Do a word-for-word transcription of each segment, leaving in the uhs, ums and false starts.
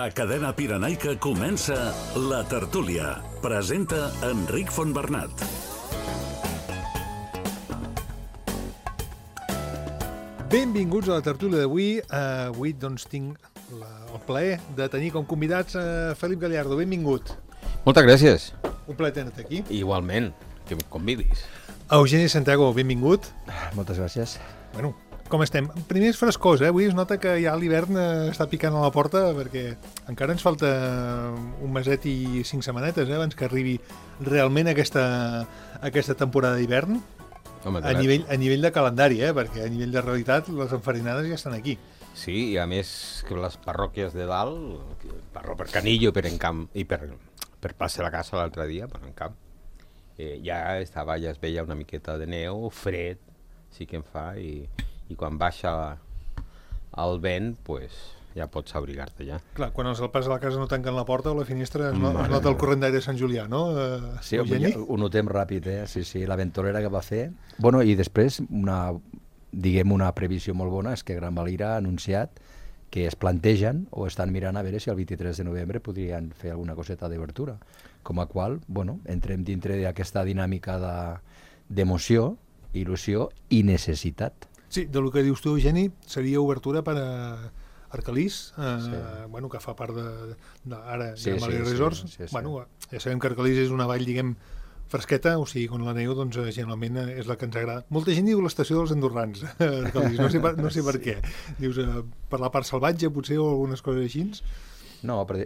A Cadena Pirenaica comença La Tertúlia. Presenta Enric Fontbernat. Benvinguts a la tertúlia d'avui. Uh, avui doncs tinc la, el plaer de tenir com convidats a Felip Gallardo. Benvingut. Moltes gràcies. Un plaer tenir-te aquí. Igualment, que em convidis. Eugeni Santiago, benvingut. Moltes gràcies. Bueno, com estem? Primer és frescós, eh? Avui es nota que ja l'hivern està picant a la porta perquè encara ens falta un meset i cinc setmanetes eh? abans que arribi realment aquesta, aquesta temporada d'hivern. Home, a, nivell, a nivell de calendari, eh? Perquè a nivell de realitat les enfarinades ja estan aquí. Sí, i a més que les parròquies de dalt, per, per Canillo per Encamp, i per, per Plaça de la Casa l'altre dia, per Encamp, eh, ja estava, ja es veia una miqueta de neu, fred, sí que en fa, i, i quan baixa el vent, pues, ja pots abrigar-te ja. Clar, quan els alpes de la casa no tanquen la porta o la finestra es, no, es nota el corrent d'aire de Sant Julià, no? Uh, sí, ja, ho notem ràpid, eh? Sí, sí, la ventolera que va fer. Bueno, i després, una, diguem, una previsió molt bona és que Gran Valira ha anunciat que es plantegen o estan mirant a veure si el vint-i-tres de novembre podrien fer alguna coseta d'obertura. Com a qual, bueno, entrem dintre d'aquesta dinàmica de, d'emoció, il·lusió i necessitat. Sí, del que dius tu, Eugeni, seria obertura per a Arcalís, eh, sí. Bueno, que fa part de, de ara sí, Gran Valira sí, Resorts. Sí, sí, sí. Bueno, ja sabem que Arcalís és una vall, diguem, fresqueta, o sigui, quan la neu, doncs, generalment és la que ens agrada. Molta gent diu l'estació dels andorrans, Arcalís, no sé per, no sé per sí. què. Dius, eh, per la part salvatge, potser, o algunes coses així? No, però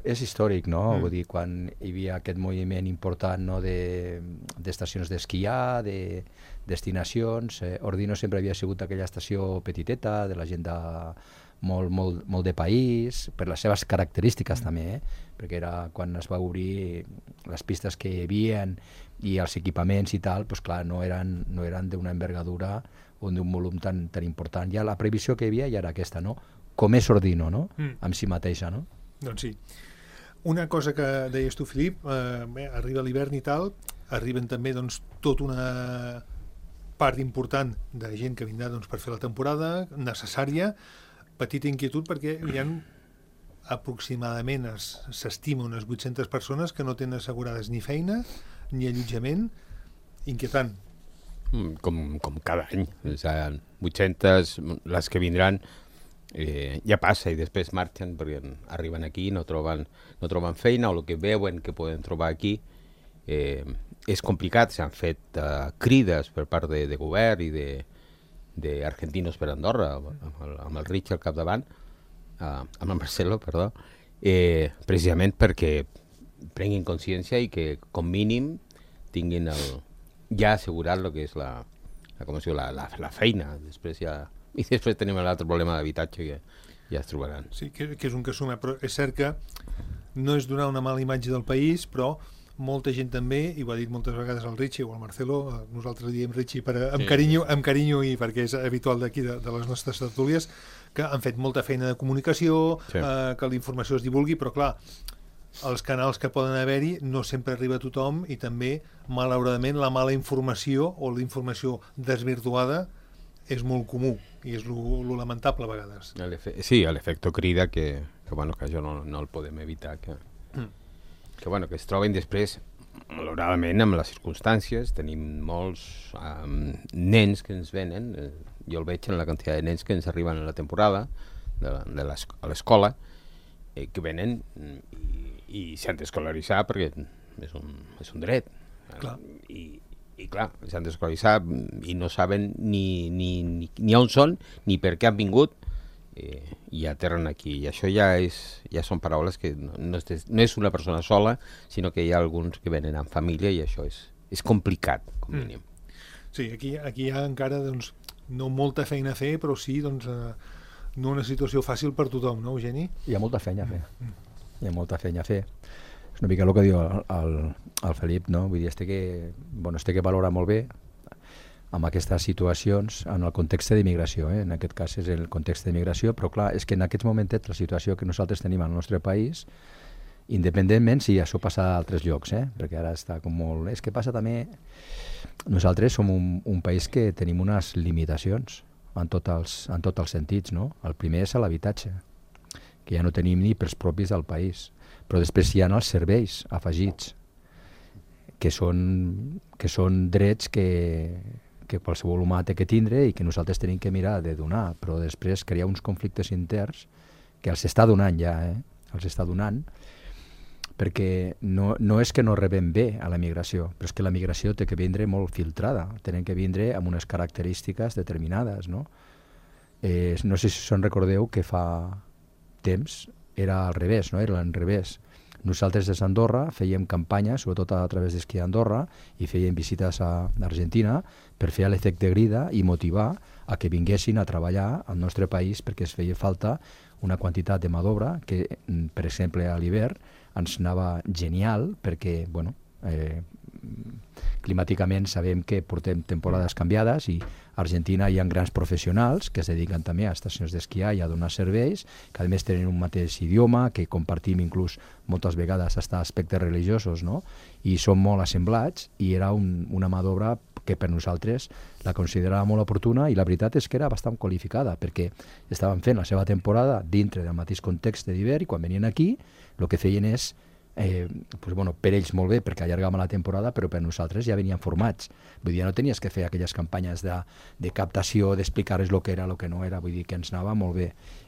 és històric, no? Mm. Vull dir, quan hi havia aquest moviment important, no?, de, d'estacions d'esquiar, de destinacions, eh, Ordino sempre havia sigut aquella estació petiteta, de la gent de molt, molt, molt de país, per les seves característiques mm. també, eh? Perquè era quan es va obrir les pistes que hi havia i els equipaments i tal, doncs clar, no eren, no eren d'una envergadura o d'un volum tan, tan important. Ja la previsió que hi havia ja era aquesta, no? Com és Ordino, no? Mm. Amb si mateixa, no? Doncs sí. Una cosa que deies tu, Filip, eh, bé, arriba l'hivern i tal, arriben també doncs, tota una part important de gent que vindrà doncs, per fer la temporada, necessària, petita inquietud perquè hi ha aproximadament es, s'estima unes vuit-centes persones que no tenen assegurades ni feina ni allotjament. Inquietant. Com, com cada any. O sigui, vuit-centes, les que vindran eh, ja passa i després marxen perquè arriben aquí, no troben, no troben feina o el que veuen que poden trobar aquí. Eh, és complicat, s'han fet uh, crides per part de, de govern i de d'Argentinos per Andorra, amb el, amb el Rich al capdavant, uh, amb el Marcelo, perdó, eh, precisament perquè prenguin consciència i que, com mínim, tinguin el, ja assegurat el que és la, la, com es diu, la, la, la feina. Després ja, i després tenim l'altre problema d'habitatge que ja es trobaran. Sí, que, que és un que suma, però és cert que no és donar una mala imatge del país, però molta gent també, i ho ha dit moltes vegades el Richie o el Marcelo, nosaltres diem Richie per, amb, sí, carinyo, sí. amb carinyo i perquè és habitual d'aquí, de, de les nostres tertúlies, que han fet molta feina de comunicació, sí. eh, que la informació es divulgui, però clar, els canals que poden haver-hi no sempre arriba a tothom i també, malauradament, la mala informació o la informació desvirtuada és molt comú i és lo, lo lamentable a vegades. Sí, l'efecte crida que, que, bueno, que això no, no el podem evitar, que... Mm. que, bueno, que es troben després, malauradament, amb les circumstàncies. Tenim molts um, nens que ens venen, eh, jo el veig en la quantitat de nens que ens arriben a la temporada de, de a l'escola, eh, que venen i, i s'han d'escolaritzar perquè és un, és un dret. Clar. I, i clar, s'han d'escolaritzar i no saben ni, ni, ni, ni on són ni per què han vingut, Eh, i aterren aquí, i això ja és ja són paraules que no, no, és, no és una persona sola, sinó que hi ha alguns que venen en família i això és, és complicat, com mínim. Mm. Sí, aquí, aquí hi ha encara doncs, no molta feina a fer, però sí doncs, eh, no una situació fàcil per tothom, no, Eugeni? Hi ha molta feina a fer, mm. hi ha molta feina a fer. És una mica el que diu el, el, el Felip, no? Vull dir, es té que, bueno, es té que valorar molt bé amb aquestes situacions en el context d'immigració, eh? En aquest cas és el context d'immigració, però clar, és que en aquests momentets la situació que nosaltres tenim al nostre país, independentment si això passa a altres llocs, eh? Perquè ara està com molt... És que passa també... Nosaltres som un, un país que tenim unes limitacions en tots els, en tots els sentits, no? El primer és l'habitatge. que ja no tenim ni pels propis del país. Però després hi ha els serveis afegits, que són, que són drets que, que qualsevol humà té que tindre i que nosaltres tenim que mirar de donar, però després crear uns conflictes interns que els està donant ja, eh? els està donant, perquè no, no és que no rebem bé a la migració, però és que la migració té que vindre molt filtrada, tenen que vindre amb unes característiques determinades, no? Eh, no sé si se'n recordeu que fa temps era al revés, no? Era al revés. Nosaltres des d'Andorra fèiem campanya, sobretot a través d'Esquí d'Andorra, i fèiem visites a Argentina per fer l'efecte grida i motivar a que vinguessin a treballar al nostre país perquè es feia falta una quantitat de mà d'obra que, per exemple, a l'hivern ens anava genial perquè, bueno, eh, climàticament sabem que portem temporades canviades i a Argentina hi ha grans professionals que es dediquen també a estacions d'esquiar i a donar serveis, que a més tenen un mateix idioma, que compartim inclús moltes vegades fins a aspectes religiosos, no? I són molt assemblats i era un, una mà d'obra que per nosaltres la considerava molt oportuna i la veritat és que era bastant qualificada perquè estaven fent la seva temporada dintre del mateix context d'hivern i quan venien aquí el que feien és Eh, pues bueno, per ells molt bé perquè allargaven la temporada, però per nosaltres ja venien formats, vull dir, ja no tenies que fer aquelles campanyes de, de captació, d'explicar-los el que era, el que no era, vull dir que ens anava molt bé,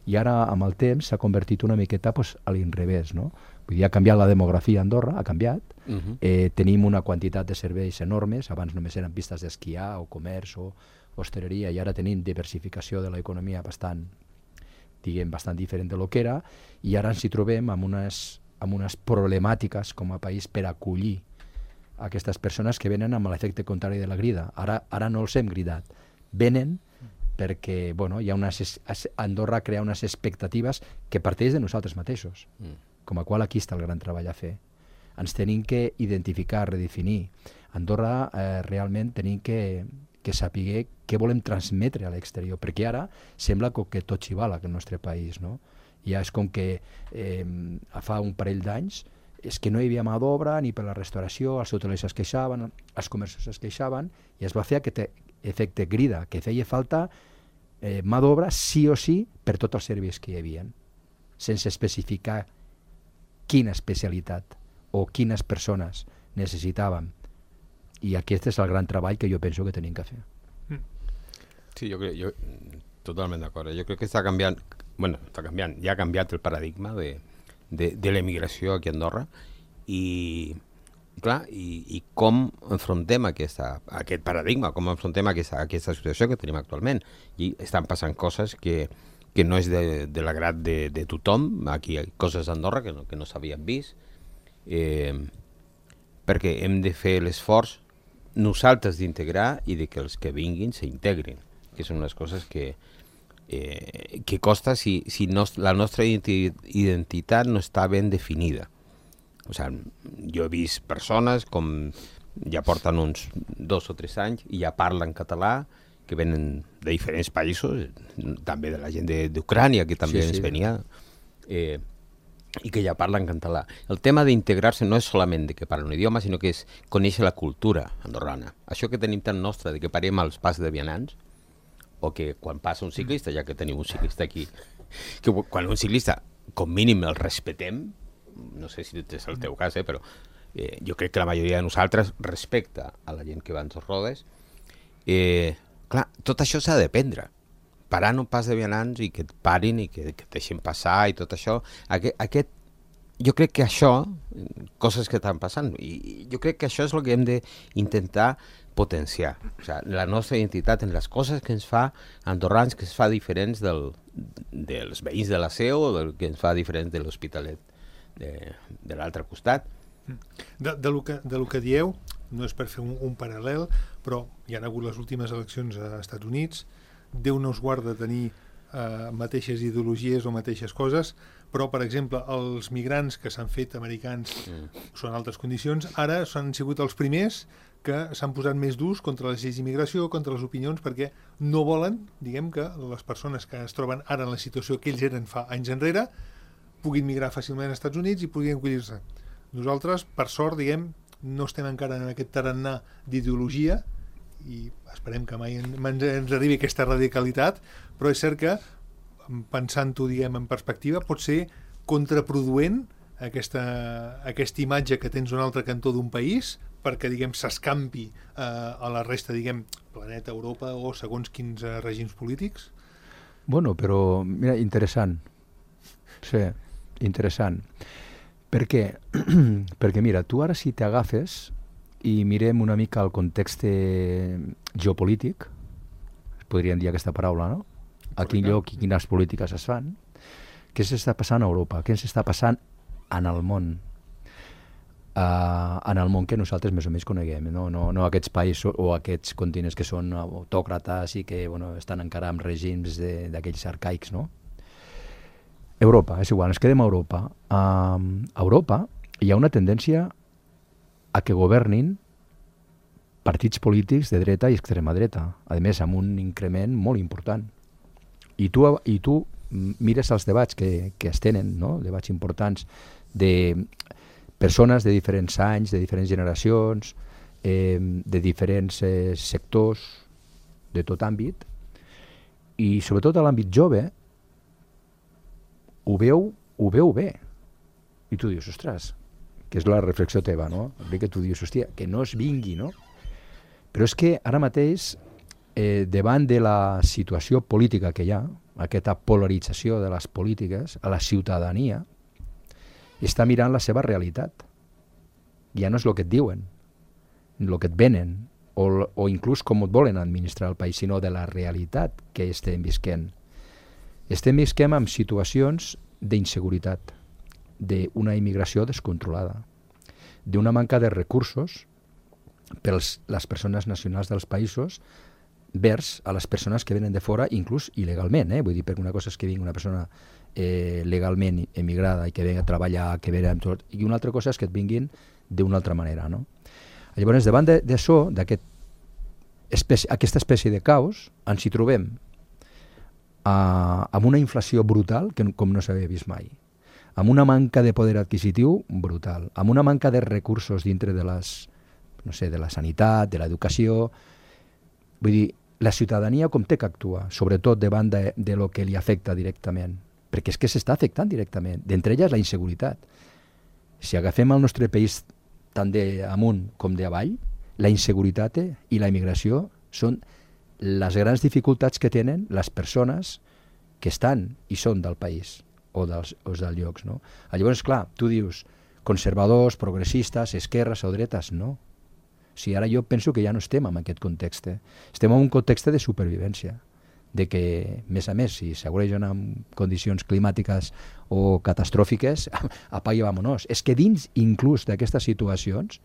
i ara amb el temps s'ha convertit una miqueta pues, a l'inrevés, no? Vull dir, ha canviat la demografia a Andorra, ha canviat, uh-huh. eh, tenim una quantitat de serveis enormes, abans només eren pistes d'esquiar o comerç o hostaleria, i ara tenim diversificació de l'economia bastant, diguem, bastant diferent de lo que era, i ara ens hi trobem amb unes amb unes problemàtiques com a país per acollir aquestes persones que venen amb l'efecte contrari de la grida. Ara, ara no els hem gridat. Venen perquè bueno, hi ha unes, Andorra crea unes expectatives que parteix de nosaltres mateixos, mm. com a qual aquí està el gran treball a fer. Ens tenim que identificar, redefinir. Andorra eh, realment tenim que, que saber què volem transmetre a l'exterior, perquè ara sembla que tot xivala que el nostre país, no? Ja és com que eh, fa un parell d'anys és que no hi havia mà d'obra ni per la restauració, els hotelers es queixaven, els comerços es queixaven, i es va fer aquest efecte grida, que feia falta eh, mà d'obra sí o sí per tots els serveis que hi havia, sense especificar quina especialitat o quines persones necessitàvem. I aquest és el gran treball que jo penso que tenim que fer. Sí, jo crec, jo, totalment d'acord. Jo crec que està canviant, bueno, està canviant, ja ha canviat el paradigma de, de, de l'emigració aquí a Andorra i, clar, i, i com enfrontem aquesta, aquest paradigma, com enfrontem aquesta, aquesta situació que tenim actualment. I estan passant coses que, que no és de, de l'agrat de, de tothom. Aquí hi ha coses d'Andorra que no, que no s'havien vist, eh, perquè hem de fer l'esforç nosaltres d'integrar i de que els que vinguin s'integrin, que són unes coses que Eh, que costa si, si no, la nostra identitat no està ben definida. O sigui, jo he vist persones com ja porten uns dos o tres anys i ja parlen català, que venen de diferents països, també de la gent d'Ucrània, que també sí, ens sí. venia, eh, i que ja parlen català. El tema d'integrar-se no és solament de que parlen un idioma, sinó que és conèixer la cultura andorrana. Això que tenim tan nostre, de que parem als pas de vianants, o que quan passa un ciclista, ja que tenim un ciclista aquí, que quan un ciclista, com mínim, el respetem, no sé si és el teu cas, eh, però eh, jo crec que la majoria de nosaltres respecta a la gent que va en dos rodes. Eh, clar, tot això s'ha d'aprendre. Parar un pas de vianants i que et parin i que, que et deixin passar i tot això. Aquest, aquest, jo crec que això, coses que estan passant, i jo crec que això és el que hem d'intentar potenciar. O sigui, la nostra identitat en les coses que ens fa andorrans, que ens fa diferents del, dels veïns de la Seu o del que ens fa diferents de l'Hospitalet de, de l'altre costat. De, de, lo que, de lo que dieu, no és per fer un, un paral·lel, però hi ha hagut les últimes eleccions a Estats Units, Déu no us guarda tenir eh, mateixes ideologies o mateixes coses, però, per exemple, els migrants que s'han fet americans mm. són altres condicions, ara s'han sigut els primers que s'han posat més durs contra les lleis d'immigració, contra les opinions, perquè no volen, diguem, que les persones que es troben ara en la situació que ells eren fa anys enrere puguin migrar fàcilment als Estats Units i puguin acollir-se. Nosaltres, per sort, diguem, no estem encara en aquest tarannà d'ideologia i esperem que mai ens, ens arribi aquesta radicalitat, però és cert que pensant-ho, diguem, en perspectiva, pot ser contraproduent aquesta, aquesta imatge que tens d'un altre cantó d'un país perquè, diguem, s'escampi eh, a la resta, diguem, planeta, Europa o segons quins eh, règims polítics? Bueno, però, mira, interessant. Sí, interessant. Per què? Perquè, mira, tu ara si t'agafes i mirem una mica el context geopolític, podríem dir aquesta paraula, no? A quin lloc i quines polítiques es fan, què s'està passant a Europa, què s'està passant en el món, uh, en el món que nosaltres més o menys coneguem, no, no, no aquests països o aquests continents que són autòcrates i que bueno, estan encara amb règims d'aquells arcaics, no? Europa, és igual, ens quedem a Europa. Uh, a Europa hi ha una tendència a que governin partits polítics de dreta i extrema dreta, a més amb un increment molt important. I tu, i tu mires els debats que, que es tenen, no? Debats importants de persones de diferents anys, de diferents generacions, eh, de diferents eh, sectors, de tot àmbit, i sobretot a l'àmbit jove ho veu, ho veu bé. I tu dius, ostres, que és la reflexió teva, no? Que tu dius, hòstia, que no es vingui, no? Però és que ara mateix, eh, davant de la situació política que hi ha, aquesta polarització de les polítiques, a la ciutadania està mirant la seva realitat. Ja no és el que et diuen, el que et venen, o, o inclús com et volen administrar el país, sinó de la realitat que estem visquent. Estem visquent amb situacions d'inseguretat, d'una immigració descontrolada, d'una manca de recursos per les persones nacionals dels països vers a les persones que venen de fora, inclús il·legalment, eh? Vull dir, perquè una cosa és que vingui una persona eh, legalment emigrada i que venga a treballar, que venga amb tot, i una altra cosa és que et vinguin d'una altra manera, no? Llavors, davant d'això, d'aquest espècie, aquesta espècie de caos, ens hi trobem uh, amb una inflació brutal que com no s'havia vist mai, amb una manca de poder adquisitiu brutal, amb una manca de recursos dintre de les, no sé, de la sanitat, de l'educació. Vull dir, la ciutadania com té que actuar, sobretot davant de, de lo que li afecta directament, perquè és que s'està afectant directament, d'entre elles la inseguretat. Si agafem el nostre país tant d'amunt com d'avall, la inseguretat i la immigració són les grans dificultats que tenen les persones que estan i són del país o dels, o dels llocs, no? Llavors, clar, tu dius conservadors, progressistes, esquerres o dretes, no. Si ara jo penso que ja no estem en aquest context, estem en un context de supervivència, de que, més a més, si s'agreuen amb condicions climàtiques o catastròfiques, apaga i vámonos. És que dins, inclús d'aquestes situacions,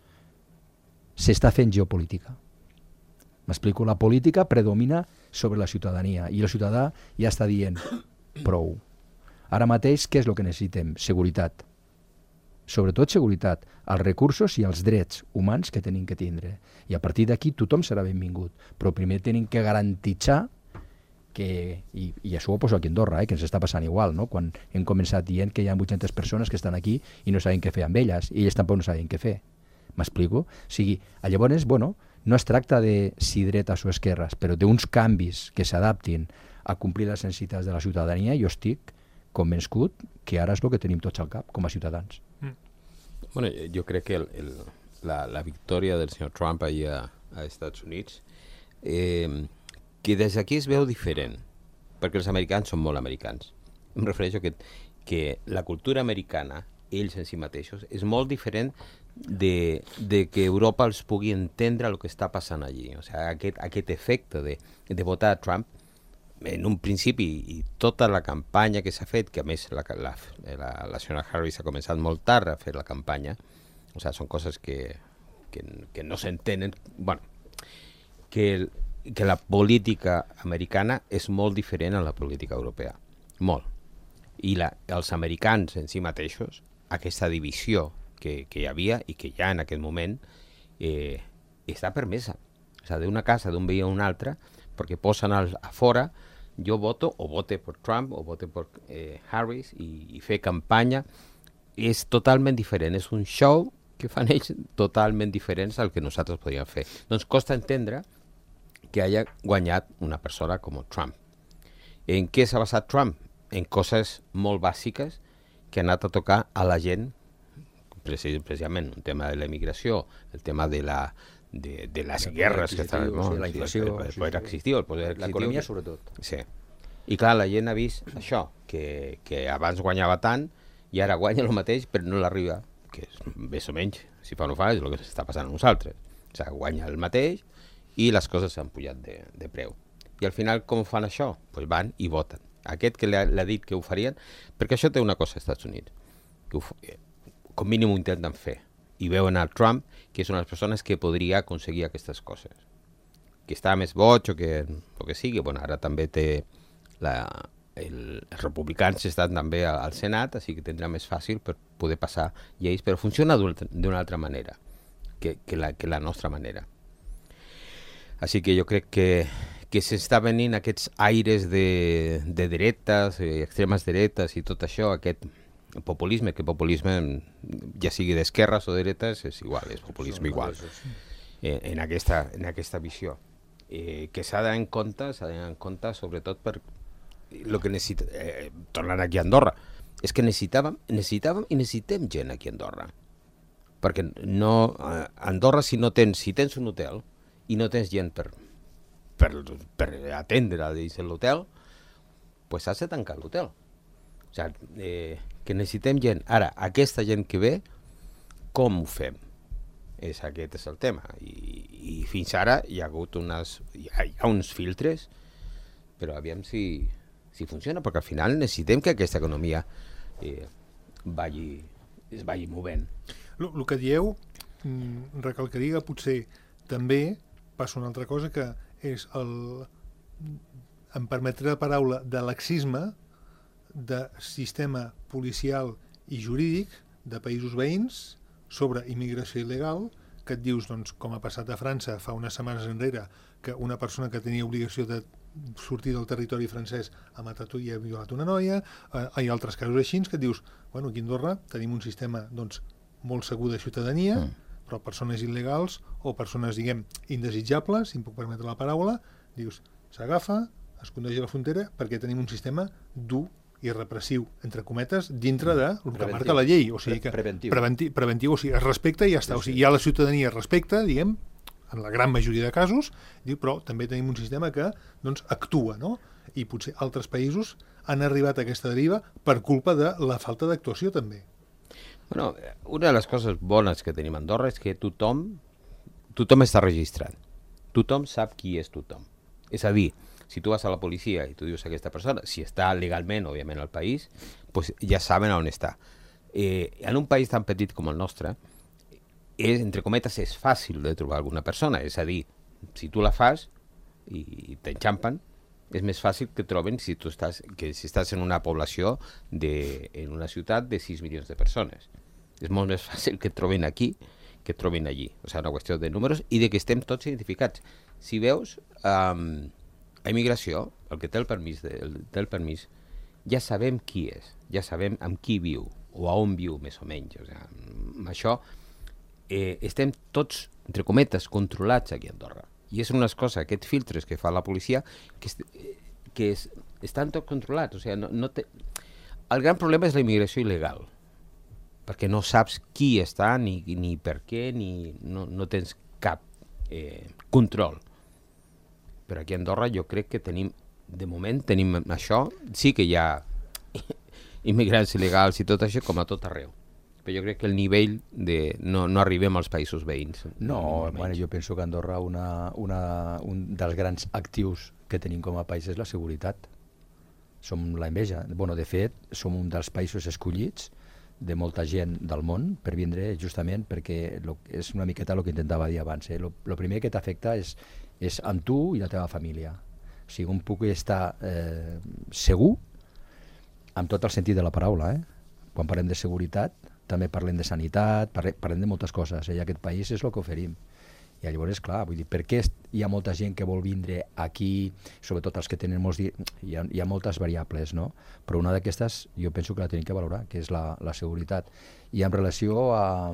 s'està fent geopolítica. M'explico, la política predomina sobre la ciutadania i el ciutadà ja està dient prou. Ara mateix, què és el que necessitem? Seguretat. Sobretot seguretat, els recursos i els drets humans que tenim que tindre. I a partir d'aquí tothom serà benvingut. Però primer tenim que garantitzar que, i, i això ho poso aquí a Andorra, eh, que ens està passant igual, no? Quan hem començat dient que hi ha vuit-centes persones que estan aquí i no saben què fer amb elles, i elles tampoc no saben què fer. M'explico? O sigui, llavors, bueno, no es tracta de si dretes o esquerres, però d'uns canvis que s'adaptin a complir les necessitats de la ciutadania. Jo estic convençut que ara és el que tenim tots al cap, com a ciutadans. Mm. Bueno, jo crec que el, el, la, la victòria del senyor Trump allà a Estats Units, eh, que des d'aquí es veu diferent, perquè els americans són molt americans. Em refereixo que, que la cultura americana, ells en si mateixos, és molt diferent de, de que Europa els pugui entendre el que està passant allí. O sigui, aquest, aquest efecte de, de votar a Trump, en un principi, i tota la campanya que s'ha fet, que a més la, la, la, la senyora Harris ha començat molt tard a fer la campanya, o sigui, són coses que, que, que no s'entenen, bueno, que, el, que la política americana és molt diferent a la política europea, molt. I la, els americans en si mateixos, aquesta divisió que, que hi havia i que hi ha en aquest moment, eh, està permesa. O sigui, d'una casa, d'un veí a un altre, perquè posen als, a fora, jo voto o vote per Trump o vote per eh, Harris i, i fer campanya. És totalment diferent, és un show que fan ells totalment diferents al que nosaltres podíem fer. Doncs costa entendre que haya guanyat una persona com Trump. En què s'ha basat Trump? en coses molt bàsiques que ha anat a tocar a la gent, precisament el tema de la immigració, el tema de la de, de les el guerres que estaven, no? Sí, la inflació, el, el poder adquisitiu, el poder adquisitiu. L'economia, sobretot. Sí. I clar, la gent ha vist això, que, que abans guanyava tant i ara guanya el mateix, però no l'arriba, que és més o menys, si fa o no fa, és el que s'està passant a nosaltres. O sigui, guanya el mateix i les coses s'han pujat de, de preu. I al final, com fan això? Pues van i voten. Aquest que l'ha dit que ho farien, perquè això té una cosa als Estats Units, que ho, com mínim ho intenten fer. I veuen a Trump, que és una de les persones que podria aconseguir aquestes coses. Que està més boig o que, o que sigui, bueno, ara també té la, el, els republicans estan també al Senat, així que tindrà més fàcil per poder passar lleis, però funciona d'una altra manera que, que, la, que la nostra manera. Així que jo crec que, que s'està venint aquests aires de, de dretes, extremes dretes i tot això, aquest populisme, que populisme ja sigui d'esquerres o de dretes és igual, és populisme igual en, en, aquesta, en aquesta visió. Eh, que s'ha d'anar en compte, s'ha d'anar en compte sobretot per el que necessita, eh, tornant aquí a Andorra, és que necessitàvem, necessitàvem i necessitem gent aquí a Andorra. Perquè no, a Andorra si no tens, si tens un hotel i no tens gent per, per, per atendre dins de l'hotel, pues has de tancar l'hotel. O sigui, eh, que necessitem gent. Ara, aquesta gent que ve, com ho fem? És, aquest és el tema. I, i fins ara hi ha hagut unes, hi ha, hi ha uns filtres, però aviam si, si funciona, perquè al final necessitem que aquesta economia eh, vagi, es vagi movent. El que dieu, recalcaria que potser també passa una altra cosa, que és el, em permetré la paraula, de laxisme de sistema policial i jurídic de països veïns sobre immigració il·legal, que et dius, doncs, com ha passat a França fa unes setmanes enrere, que una persona que tenia obligació de sortir del territori francès ha matat i ha violat una noia, eh, hi ha altres casos així, que et dius, bueno, aquí a Andorra tenim un sistema, doncs, molt segur de ciutadania, mm. però persones il·legals o persones, diguem, indesitjables, si em puc permetre la paraula, dius, s'agafa, es condueix a la frontera perquè tenim un sistema dur i repressiu, entre cometes, dintre de el que marca la llei. O sigui que preventiu. Preventiu, preventiu, o sigui, es respecta i ja està. O sigui, ja la ciutadania es respecta, diguem, en la gran majoria de casos, diu, però també tenim un sistema que doncs, actua, no? I potser altres països han arribat a aquesta deriva per culpa de la falta d'actuació, també. Bueno, una de les coses bones que tenim a Andorra és que tothom, tothom està registrat. Tothom sap qui és tothom. És a dir, si tu vas a la policia i tu dius a aquesta persona, si està legalment, òbviament, al país, pues ja saben on està. Eh, en un país tan petit com el nostre, és, entre cometes, és fàcil de trobar alguna persona. És a dir, si tu la fas i t'enxampen, és més fàcil que troben si tu estàs, que si estàs en una població, de, en una ciutat de sis milions de persones. És molt més fàcil que et trobin aquí que et trobin allí. O sigui, una qüestió de números i de que estem tots identificats. Si veus, um, a immigració, el que té el permís, de, el, té el permís, ja sabem qui és, ja sabem amb qui viu, o a on viu, més o menys. O sigui, amb això eh, estem tots, entre cometes, controlats aquí a Andorra. I és una cosa, aquests filtres que fa la policia, que, est, que és, estan tots controlats. O sigui, no, no té... El gran problema és la immigració il·legal, perquè no saps qui està, ni, ni per què, ni no, no tens cap eh, control. Però aquí a Andorra jo crec que tenim, de moment tenim això, sí que hi ha immigrants il·legals i tot això com a tot arreu. Però jo crec que el nivell de... no, no arribem als països veïns. No, bueno, jo penso que Andorra una, una, un dels grans actius que tenim com a país és la seguretat. Som la enveja. Bueno, de fet, som un dels països escollits de molta gent del món per vindre justament perquè lo, és una miqueta el que intentava dir abans. Eh? Lo, lo primer que t'afecta és, és amb tu i la teva família. O sigui, on puc estar eh, segur, amb tot el sentit de la paraula. Eh? Quan parlem de seguretat, també parlem de sanitat, parlem, parlem de moltes coses. Eh? I aquest país és el que oferim. I llavors, clar, vull dir, per què hi ha molta gent que vol vindre aquí, sobretot els que tenen molts... Hi ha, hi ha moltes variables, no? Però una d'aquestes jo penso que la tenim que valorar, que és la, la seguretat. I en relació a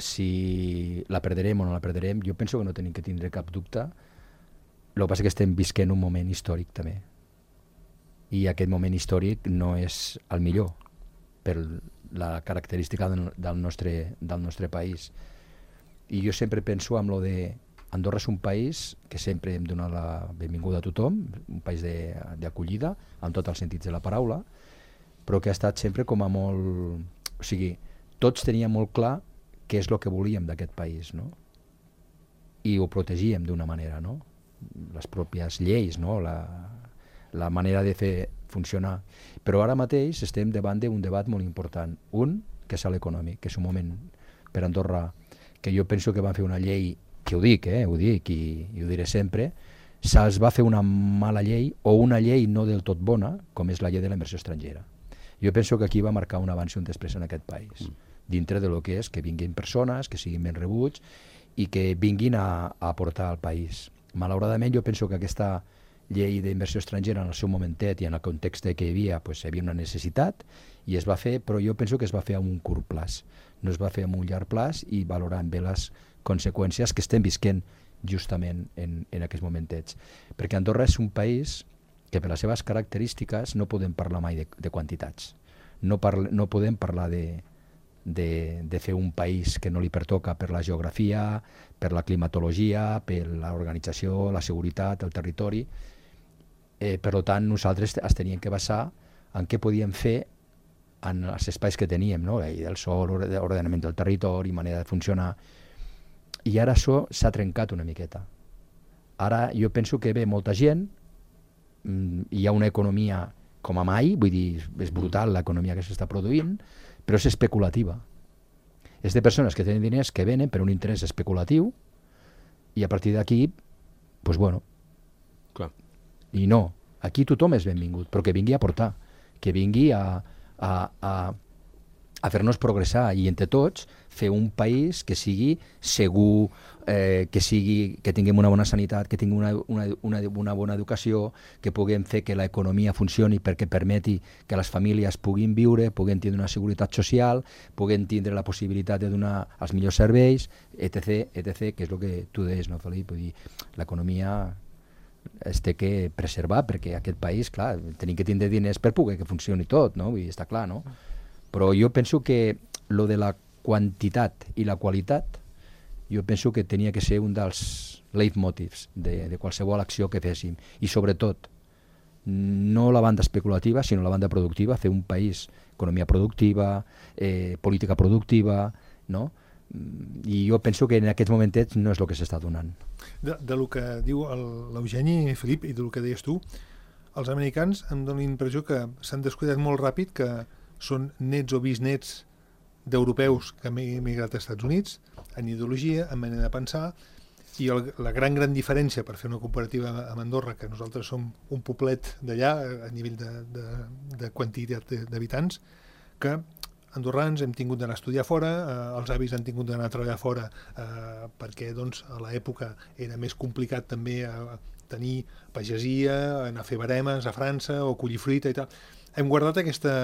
si la perderem o no la perderem, jo penso que no tenim que tindre cap dubte. El que passa és que estem visquent un moment històric també. i aquest moment històric no és el millor per la característica del, del, nostre, del nostre país. I jo sempre penso en lo de Andorra és un país que sempre hem donat la benvinguda a tothom, un país d'acollida, en tots els sentits de la paraula, però que ha estat sempre com a molt... O sigui, tots teníem molt clar què és el que volíem d'aquest país, no? I ho protegíem d'una manera, no? Les pròpies lleis, no? La, la manera de fer funcionar. Però ara mateix estem davant d'un debat molt important. Un, que és l'econòmic, que és un moment per Andorra que jo penso que van fer una llei, que ho dic, eh, ho dic i, i ho diré sempre, se'ls va fer una mala llei o una llei no del tot bona, com és la llei de la inversió estrangera. Jo penso que aquí va marcar un abans i un després en aquest país, mm. dintre de lo que és que vinguin persones, que siguin ben rebuts i que vinguin a, a aportar al país. Malauradament jo penso que aquesta llei d'inversió estrangera en el seu momentet i en el context que hi havia, pues, hi havia una necessitat i es va fer, però jo penso que es va fer a un curt plaç, no es va fer a un llarg plaç i valorant bé les conseqüències que estem visquent justament en, en aquests momentets. Perquè Andorra és un país que per les seves característiques no podem parlar mai de, de quantitats. No, parla, no podem parlar de, de, de fer un país que no li pertoca per la geografia, per la climatologia, per l'organització, la seguretat, el territori. Eh, per tant, nosaltres es teníem que basar en què podíem fer en els espais que teníem, no? La llei del sòl, ordenament del territori, manera de funcionar. I ara això s'ha trencat una miqueta. Ara jo penso que ve molta gent, hi ha una economia com a mai, vull dir, és brutal l'economia que s'està produint, però és especulativa. És de persones que tenen diners que venen per un interès especulatiu i a partir d'aquí, doncs bueno. Clar. I no, aquí tothom és benvingut, però que vingui a aportar, que vingui a, a, a, a fer-nos progressar i entre tots fer un país que sigui segur, eh, que sigui que tinguem una bona sanitat, que tingui una, una, una, una bona educació, que puguem fer que l'economia funcioni perquè permeti que les famílies puguin viure, puguin tindre una seguretat social, puguin tindre la possibilitat de donar els millors serveis, etc, etc, que és el que tu deies, no, Felip? Vull dir, l'economia es té que preservar perquè aquest país, clar, tenim que tindre diners per poder que funcioni tot, no? Vull dir, està clar, no? Però jo penso que lo de la quantitat i la qualitat, jo penso que tenia que ser un dels leitmotivs de, de qualsevol acció que féssim. I sobretot, no la banda especulativa, sinó la banda productiva, fer un país, economia productiva, eh, política productiva, no? I jo penso que en aquests momentets no és el que s'està donant. De, de lo que diu l'Eugeni, Felip, i del que deies tu, els americans em donen la impressió que s'han descuidat molt ràpid, que són nets o bisnets d'europeus que han emigrat als Estats Units, en ideologia, en manera de pensar, i el, la gran, gran diferència per fer una comparativa amb Andorra, que nosaltres som un poblet d'allà a nivell de, de, de quantitat d'habitants, que andorrans hem tingut d'anar a estudiar fora, eh, els avis han tingut d'anar a treballar fora eh, perquè doncs, a l'època era més complicat també eh, tenir pagesia, anar a fer baremes a França o collir fruita i tal. Hem guardat aquesta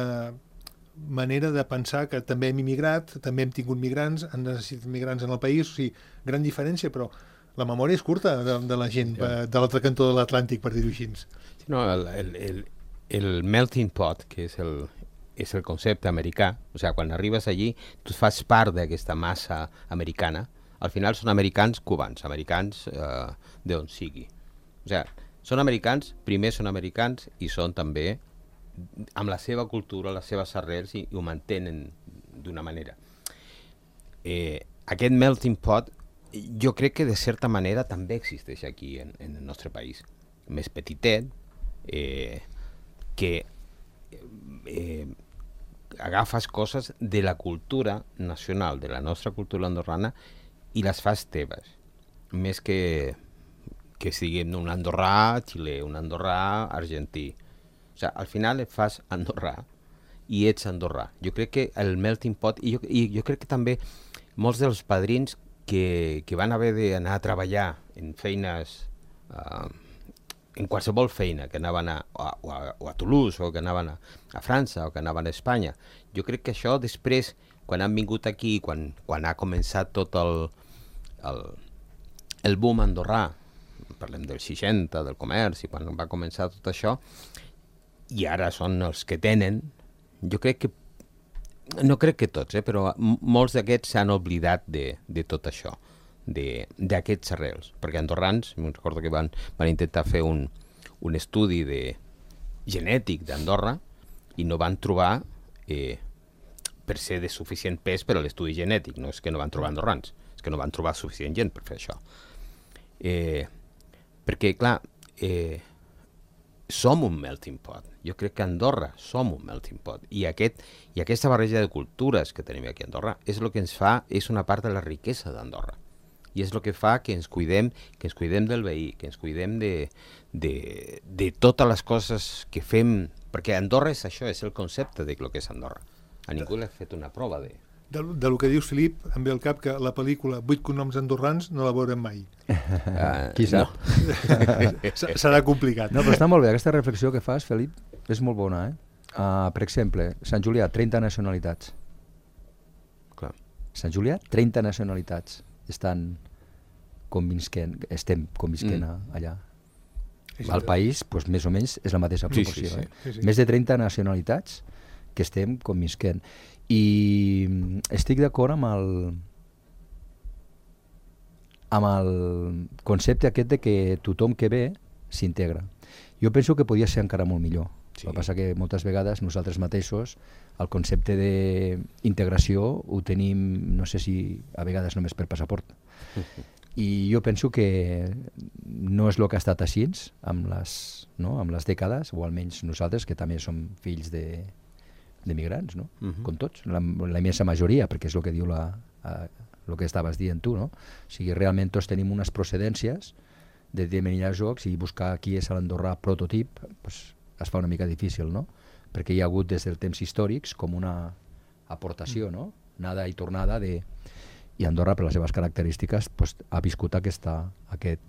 manera de pensar que també hem immigrat, també hem tingut migrants, han necessitat migrants en el país, o sigui, gran diferència, però la memòria és curta de, de la gent sí. de l'altre cantó de l'Atlàntic, per dir-ho així. No, el, el, el, el melting pot, que és el, és el concepte americà, o sigui, quan arribes allí, tu fas part d'aquesta massa americana, al final són americans cubans, americans eh, d'on sigui. O sigui, són americans, primer són americans i són també amb la seva cultura, les seves arrels i, i ho mantenen d'una manera. Eh, aquest melting pot jo crec que de certa manera també existeix aquí en, en el nostre país. Més petitet, eh, que eh, agafes coses de la cultura nacional, de la nostra cultura andorrana i les fas teves. Més que que siguin un andorrà xilè, un andorrà argentí. O sigui, al final et fas andorrà i ets andorrà. Jo crec que el melting pot, i jo, i jo crec que també molts dels padrins que, que van haver d'anar a treballar en feines, uh, en qualsevol feina, que anaven a, a, a, o a Toulouse, o que anaven a, a França, o que anaven a Espanya, jo crec que això després, quan han vingut aquí, quan, quan ha començat tot el, el, el boom andorrà, parlem dels seixanta, del comerç, i quan va començar tot això, i ara són els que tenen, jo crec que, no crec que tots, eh, però molts d'aquests s'han oblidat de, de tot això, d'aquests arrels, perquè andorrans, me'n recordo que van, van intentar fer un, un estudi de genètic d'Andorra i no van trobar, eh, per ser de suficient pes per a l'estudi genètic, no és que no van trobar andorrans, és que no van trobar suficient gent per fer això. Eh, perquè, clar, eh, som un melting pot. Jo crec que a Andorra som un melting pot. I, aquest, i aquesta barreja de cultures que tenim aquí a Andorra és el que ens fa, és una part de la riquesa d'Andorra. I és el que fa que ens cuidem, que ens cuidem del veí, que ens cuidem de, de, de totes les coses que fem. Perquè Andorra és això, és el concepte de lo que és Andorra. A ningú l'ha fet una prova de... De, de lo que dius, Filip, em ve al cap que la pel·lícula Vuit cognoms andorrans no la veurem mai. Uh, Qui sap? No. Serà complicat. No, però està molt bé, aquesta reflexió que fas, Felip, és molt bona, eh? Uh, per exemple, Sant Julià, trenta nacionalitats. Clar. Sant Julià, trenta nacionalitats estan convisquent, estem convisquent mm. allà. Al país, doncs, més o menys, és la mateixa proporció. Sí, sí, sí. Eh? Sí, sí. Més de trenta nacionalitats que estem convisquent. I estic d'acord amb el amb el concepte aquest de que tothom que ve s'integra. Jo penso que podia ser encara molt millor. Sí. El que passa que moltes vegades nosaltres mateixos el concepte d'integració ho tenim, no sé si a vegades només per passaport. I jo penso que no és el que ha estat així amb les, no? amb les dècades, o almenys nosaltres, que també som fills de d'emigrants, no? Uh-huh. Com tots, la, la immensa majoria, perquè és el que diu la, a, el que estaves dient tu, no? O sigui, realment tots tenim unes procedències de determinats jocs i buscar qui és l'Andorrà prototip pues, es fa una mica difícil, no? Perquè hi ha hagut des dels temps històrics com una aportació, no? Nada i tornada de... I Andorra, per les seves característiques, pues, ha viscut aquesta, aquest,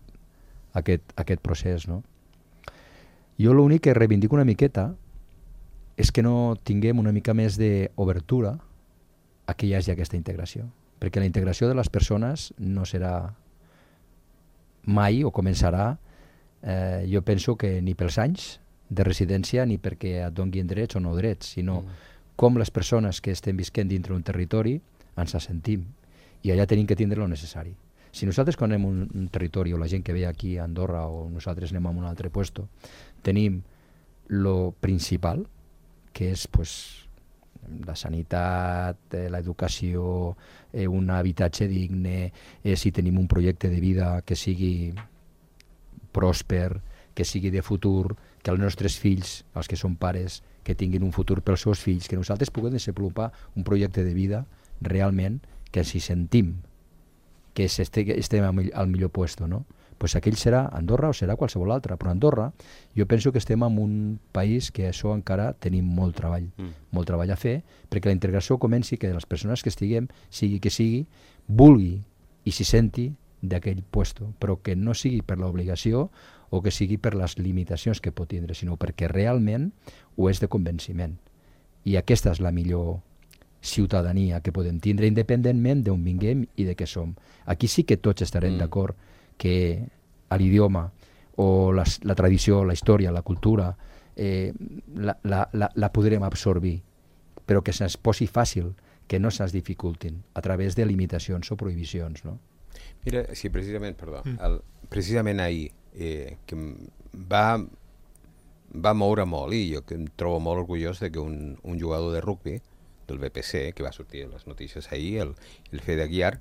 aquest, aquest procés, no? Jo l'únic que reivindico una miqueta és que no tinguem una mica més d'obertura a que hi hagi aquesta integració. Perquè la integració de les persones no serà mai o començarà, eh, jo penso que ni pels anys de residència ni perquè et donguin drets o no drets, sinó mm. com les persones que estem visquent dintre un territori ens sentim. I allà tenim que tindre el necessari. Si nosaltres quan anem a un, un territori, o la gent que ve aquí a Andorra, o nosaltres anem a un altre puesto, tenim lo principal, que és pues, la sanitat, eh, l'educació, eh, un habitatge digne, eh, si tenim un projecte de vida que sigui pròsper, que sigui de futur, que els nostres fills, els que són pares, que tinguin un futur pels seus fills, que nosaltres puguem desenvolupar un projecte de vida realment que si sentim que estem al millor puesto, no? Pues aquell serà Andorra o serà qualsevol altre, però Andorra jo penso que estem en un país que això encara tenim molt treball, mm. molt treball a fer, perquè la integració comenci que les persones que estiguem, sigui que sigui, vulgui i s'hi senti d'aquell puesto, però que no sigui per l'obligació o que sigui per les limitacions que pot tindre, sinó perquè realment ho és de convenciment. I aquesta és la millor ciutadania que podem tindre, independentment d'on vinguem i de què som. Aquí sí que tots estarem mm. d'acord que l'idioma o la, la tradició, la història, la cultura, eh, la, la, la, la podrem absorbir, però que se'ns posi fàcil, que no se'ns dificultin a través de limitacions o prohibicions, no? Mira, sí, precisament, perdó, mm. el, precisament ahir, eh, que va, va moure molt, i jo que em trobo molt orgullós de que un, un jugador de rugby del B P C, que va sortir a les notícies ahir, el, el Fede Aguiar,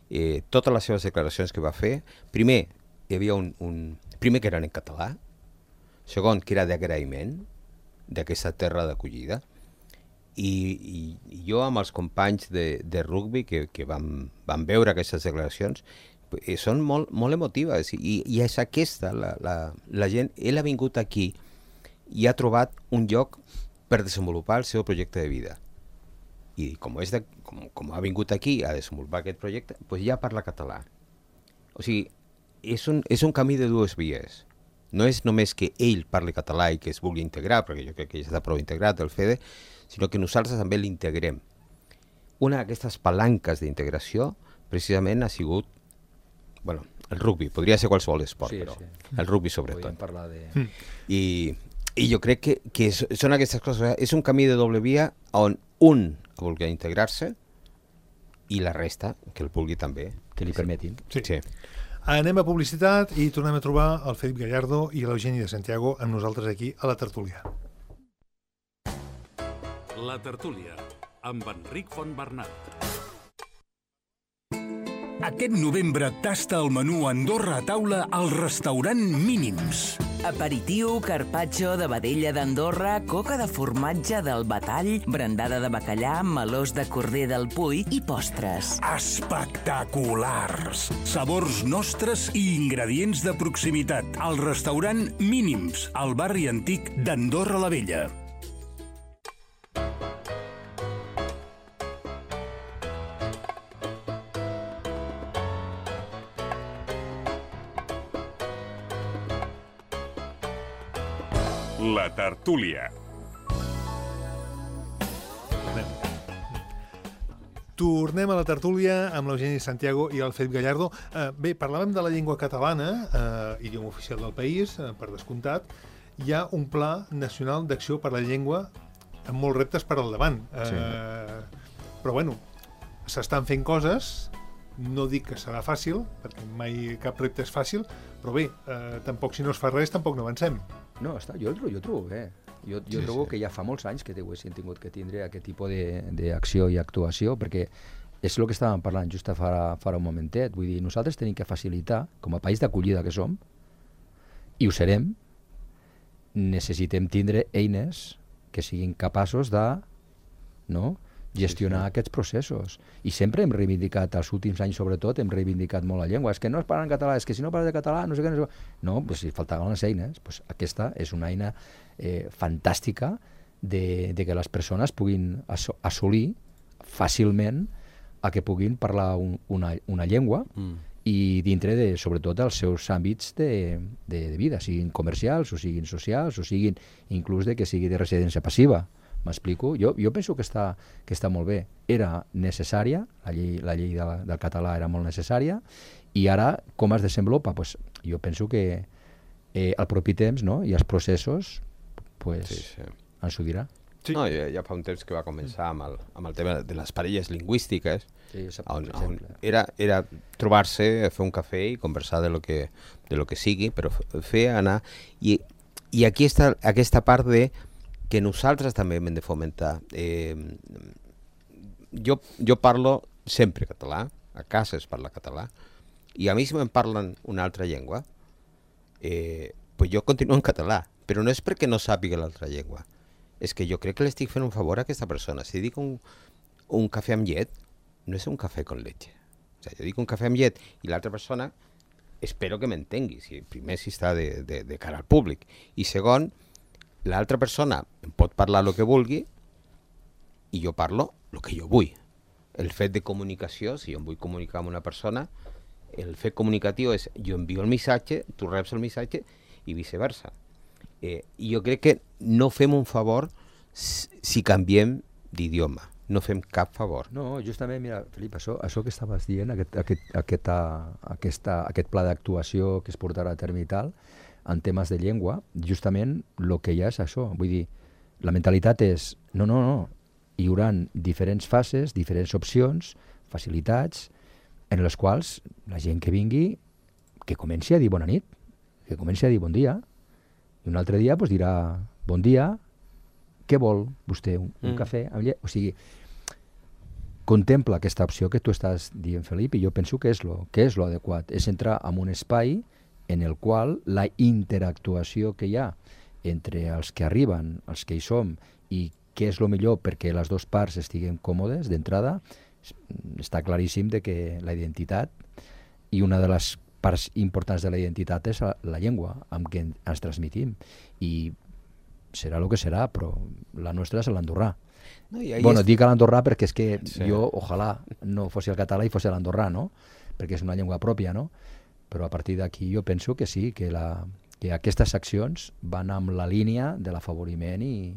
eh, totes les seves declaracions que va fer, primer, hi havia un, un... primer que eren en català, segon que era d'agraïment d'aquesta terra d'acollida, i, i, i jo amb els companys de, de rugby que, que vam, vam veure aquestes declaracions, eh, són molt, molt emotives, i, i és aquesta, la, la, la gent, ell ha vingut aquí i ha trobat un lloc per desenvolupar el seu projecte de vida. I com, és de, com, com ha vingut aquí a desenvolupar aquest projecte, doncs ja parla català. O sigui, és un, és un camí de dues vies. No és només que ell parli català i que es vulgui integrar, perquè jo crec que ja està prou integrat el Fede, sinó que nosaltres també l'integrem. Una d'aquestes palanques d'integració precisament ha sigut, bueno, el rugby, podria ser qualsevol esport, sí, però sí. el rugby sobretot. Podríem parlar de... I, I jo crec que, que és, són aquestes coses. És un camí de doble via on un vulgui integrar-se i la resta que el vulgui també. Que li permetin. Sí. Sí. Anem a publicitat i tornem a trobar el Felip Gallardo i l'Eugeni de Santiago amb nosaltres aquí a la tertúlia. La tertúlia, amb Enric Fontbernat. Aquest novembre tasta el menú Andorra a taula al restaurant Mínims. Aperitiu, carpaccio de vedella d'Andorra, coca de formatge del Batall, brandada de bacallà, melós de corder del Puy i postres. Espectaculars! Sabors nostres i ingredients de proximitat. Al restaurant Mínims, al barri antic d'Andorra la Vella. La tertúlia. Tornem a la tertúlia amb l'Eugeni Santiago i el Felip Gallardo. Eh, bé, parlàvem de la llengua catalana, eh, idioma oficial del país, eh, per descomptat. Hi ha un pla nacional d'acció per la llengua amb molts reptes per al davant. Eh, sí. Però, bueno, s'estan fent coses. No dic que serà fàcil, perquè mai cap repte és fàcil, però bé, eh, tampoc si no es fa res, tampoc no avancem. No, està, jo, jo trobo bé. Jo, jo Sí, trobo sí. que ja fa molts anys que haguessin tingut que tindre aquest tipus de- d'acció i actuació, perquè és el que estàvem parlant just fa, fa un momentet. Vull dir, nosaltres tenim que facilitar, com a país d'acollida que som, i ho serem, necessitem tindre eines que siguin capaços de, no?, gestionar sí, sí. aquests processos. I sempre hem reivindicat, els últims anys sobretot, hem reivindicat molt la llengua. És que no es parla en català, és que si no parles de català, no sé què... No, sé què. No, pues si faltaven les eines, pues aquesta és una eina eh, fantàstica de, de que les persones puguin asso assolir fàcilment a que puguin parlar un, una, una llengua mm. i dintre de, sobretot, els seus àmbits de, de, de vida, siguin comercials, o siguin socials, o siguin inclús de que sigui de residència passiva. M'explico? Jo, jo penso que està, que està molt bé. Era necessària, la llei, la llei de, del català era molt necessària, i ara com es desenvolupa? Pues, jo penso que eh, al propi temps, no?, i els processos pues, Sí, sí. ens ho dirà. Sí. No, ja, ja fa un temps que va començar amb el, amb el tema de les parelles lingüístiques, Sí, on, per on exemple. era, era trobar-se, fer un cafè i conversar de lo que, de lo que sigui, però fer anar... I, i aquí està aquesta part de que nosaltres també hem de fomentar. Eh, jo, jo parlo sempre català, a casa es parla català, i a mi si me'n parlen una altra llengua, eh, pues jo continuo en català, però no és perquè no sàpiga l'altra llengua, és que jo crec que l'estic fent un favor a aquesta persona. Si dic un, un cafè amb llet, no és un cafè con leche. O sigui, jo dic un cafè amb llet i l'altra persona espero que m'entengui, si, primer si està de, de, de cara al públic, i segon, l'altra persona em pot parlar el que vulgui i jo parlo el que jo vull. El fet de comunicació, si jo em vull comunicar amb una persona, el fet comunicatiu és jo envio el missatge, tu reps el missatge i viceversa. Eh, I jo crec que no fem un favor si, si canviem d'idioma. No fem cap favor. No, justament, mira, Felip, això, això que estaves dient, aquest, aquest, aquesta, aquesta, aquest pla d'actuació que es portarà a terme i tal, en temes de llengua, justament el que hi ha és això. Vull dir, la mentalitat és, no, no, no, hi haurà diferents fases, diferents opcions, facilitats, en les quals la gent que vingui, que comenci a dir bona nit, que comenci a dir bon dia, i un altre dia pues, dirà bon dia, què vol vostè? Un, un mm. cafè amb llet? O sigui, contempla aquesta opció que tu estàs dient, Felip, i jo penso que és lo, que és lo adequat, és entrar en un espai en el qual la interactuació que hi ha entre els que arriben, els que hi som, i què és el millor perquè les dues parts estiguin còmodes d'entrada, està claríssim de que la identitat, i una de les parts importants de la identitat és la, la llengua amb què ens transmitim, i serà el que serà, però la nostra és l'andorrà. No, bueno, és... dic a l'andorrà perquè és que sí. jo, ojalà, no fos el català i fos l'andorrà, no? Perquè és una llengua pròpia, no? Però a partir d'aquí jo penso que sí, que, la, que aquestes accions van amb la línia de l'afavoriment i,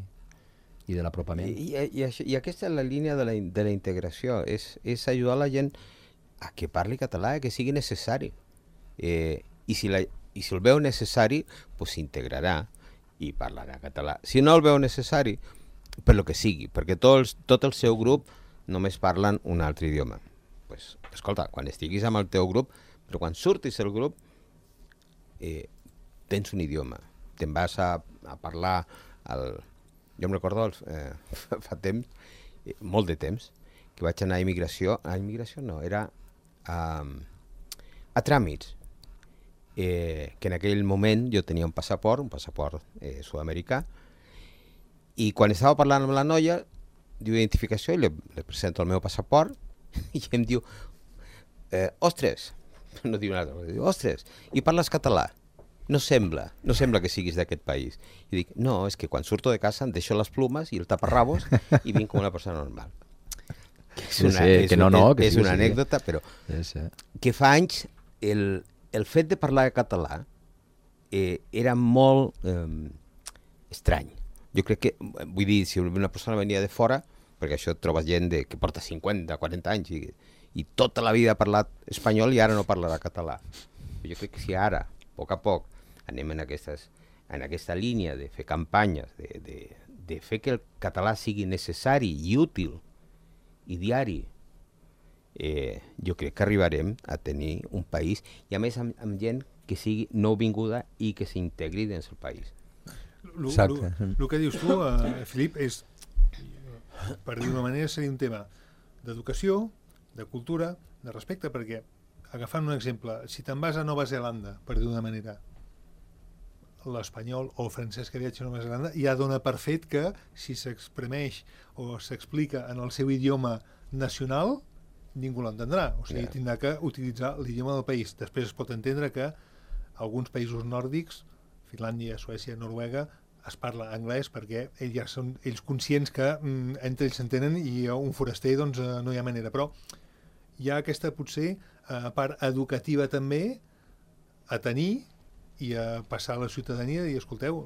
i de l'apropament. I, i, i, això, I aquesta és la línia de la, de la integració, és, és ajudar la gent a que parli català, que sigui necessari. Eh, i, si la, I si el veu necessari, pues s'integrarà. i parlarà català. Si no el veu necessari, per lo que sigui, perquè tots, tot el seu grup només parlen un altre idioma. Pues, escolta, quan estiguis amb el teu grup, però quan surtis del grup, eh, tens un idioma. Te'n vas a, a parlar... Al... Jo em recordo eh, fa temps, eh, molt de temps, que vaig anar a immigració. A immigració no, era a, a tràmits. Eh, que en aquell moment jo tenia un passaport, un passaport eh, sud-americà, i quan estava parlant amb la noia d'identificació, i li, li presento el meu passaport, i em diu, eh, ostres, no diu nada, diu, ostres, i parles català? No sembla, no sembla que siguis d'aquest país. I dic, no, és que quan surto de casa em deixo les plumes i el taparrabos i vinc com una persona normal. És una, sí, és, que no, no, que és sí, una sí. anècdota, però Sí, sí. que fa anys el, el fet de parlar català eh, era molt eh, estrany. Jo crec que, vull dir, si una persona venia de fora, perquè això et trobes gent de, que porta cinquanta, quaranta anys i, i tota la vida ha parlat espanyol i ara no parlarà català. Jo crec que si ara, a poc a poc, anem en, aquestes, en aquesta línia de fer campanyes, de, de, de fer que el català sigui necessari i útil i diari, eh, jo crec que arribarem a tenir un país, i a més amb, amb gent que sigui nouvinguda i que s'integri dins el país. El que dius tu, eh, Filip, és, per dir d'una manera, seria un tema d'educació, de cultura, de respecte, perquè, agafant un exemple, si te'n vas a Nova Zelanda, per dir d'una manera, l'espanyol o el francès que viatja a Nova Zelanda ja dona per fet que si s'exprimeix o s'explica en el seu idioma nacional, ningú l'entendrà. O sigui, yeah. tindrà que utilitzar l'idioma del país. Després es pot entendre que alguns països nòrdics, Finlàndia, Suècia, Noruega, es parla anglès perquè ells ja són ells conscients que mm, entre ells s'entenen i un foraster doncs, eh, no hi ha manera. Però hi ha aquesta, potser, eh, part educativa també a tenir i a passar a la ciutadania i escolteu,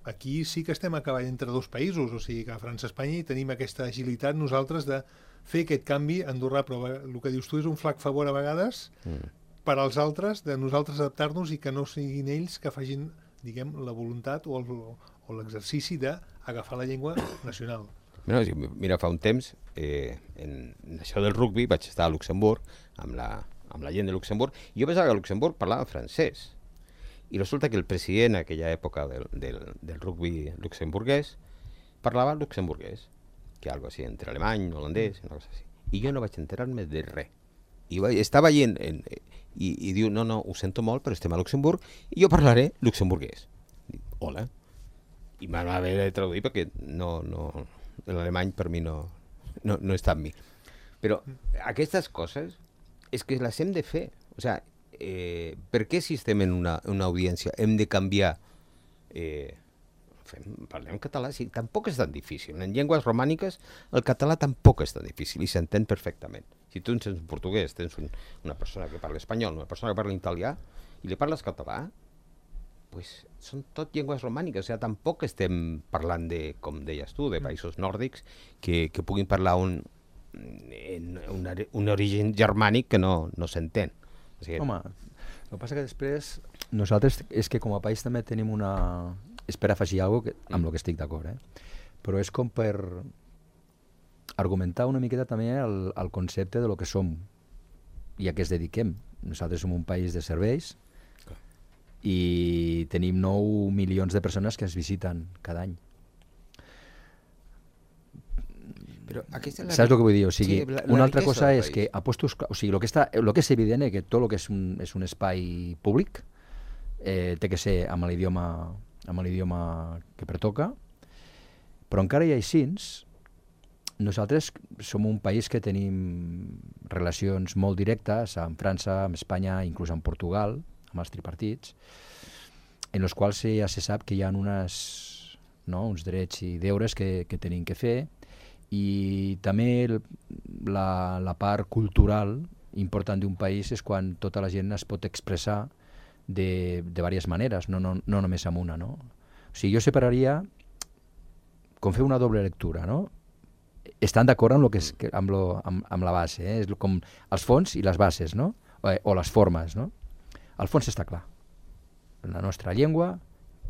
aquí sí que estem a cavall entre dos països, o sigui que a França i Espanya i tenim aquesta agilitat nosaltres de fer aquest canvi andorrà, però el que dius tu és un flac favor a vegades mm. per als altres, de nosaltres adaptar-nos i que no siguin ells que facin, diguem, la voluntat o, el, o l'exercici d'agafar la llengua nacional. Mira, mira fa un temps, eh, en, en això del rugby vaig estar a Luxemburg amb la, amb la gent de Luxemburg i jo pensava que a Luxemburg parlava francès. I resulta que el president en aquella època del, del, del rugby luxemburguès parlava luxemburguès, que algo així, entre alemany, holandès, una cosa així. I jo no vaig enterar-me de res. I vaig, estava allí en, en, i, i diu, no, no, ho sento molt, però estem a Luxemburg i jo parlaré luxemburguès. Dic, hola. I m'han haver de traduir perquè no, no, l'alemany per mi no, no, no està amb mi. Però aquestes coses és que les hem de fer. O sigui, Eh, per què si estem en una, una audiència hem de canviar eh, fem, parlem català, sí, tampoc és tan difícil. En llengües romàniques el català tampoc és tan difícil i s'entén perfectament. Si tu tens un portuguès, tens un, una persona que parla espanyol, una persona que parla italià i li parles català, pues són tot llengües romàniques. O sigui, tampoc estem parlant de, com deies tu, de països nòrdics que, que puguin parlar un, un, un origen germànic que no, no s'entén. O sigui, home, el que passa que després nosaltres és que com a país també tenim una... És per afegir alguna cosa amb el que estic d'acord, eh? Però és com per argumentar una miqueta també el, el concepte de lo que som i a què es dediquem. Nosaltres som un país de serveis i tenim nou milions de persones que ens visiten cada any. Però aquesta és la... Saps el que vull dir? O sigui, sí, la, la una altra cosa és que apostos... O sigui, el que, està, el que és evident és que tot el que és un, és un espai públic eh, té que ser amb l'idioma amb l'idioma que pertoca, però encara hi ha així, nosaltres som un país que tenim relacions molt directes amb França, amb Espanya, inclús amb Portugal, amb els tripartits, en els quals ja se sap que hi ha unes, no, uns drets i deures que, que tenim que fer, i també el, la, la part cultural important d'un país és quan tota la gent es pot expressar de, de diverses maneres, no, no, no només amb una, no? O sigui, jo separaria com fer una doble lectura, no? Estan d'acord amb, lo que és, amb, lo, amb, amb la base, eh? És com els fons i les bases, no? O, o les formes, no? El fons està clar. La nostra llengua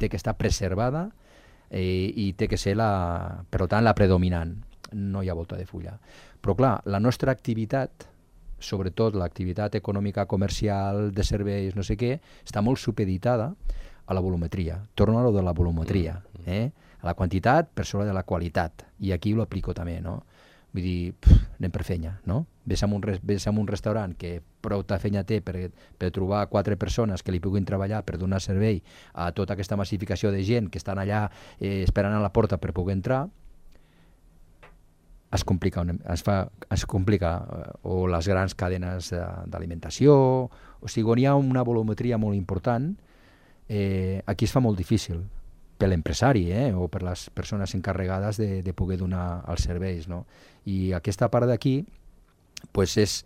té que estar preservada eh, i té que ser, la, per tant, la predominant. No hi ha volta de fulla. Però, clar, la nostra activitat, sobretot l'activitat econòmica, comercial, de serveis, no sé què, està molt supeditada a la volumetria. Torno a lo de la volumetria. Eh? A la quantitat per sobre de la qualitat. I aquí ho aplico també, no? Vull dir, pff, anem per fenya, no? Ves a un, ves a un restaurant que prou ta fenya té per, per trobar quatre persones que li puguin treballar per donar servei a tota aquesta massificació de gent que estan allà eh, esperant a la porta per poder entrar, es complica, es fa, es complica o les grans cadenes d'alimentació, o sigui, on hi ha una volumetria molt important, eh, aquí es fa molt difícil per l'empresari eh, o per les persones encarregades de, de poder donar els serveis, no? I aquesta part d'aquí pues és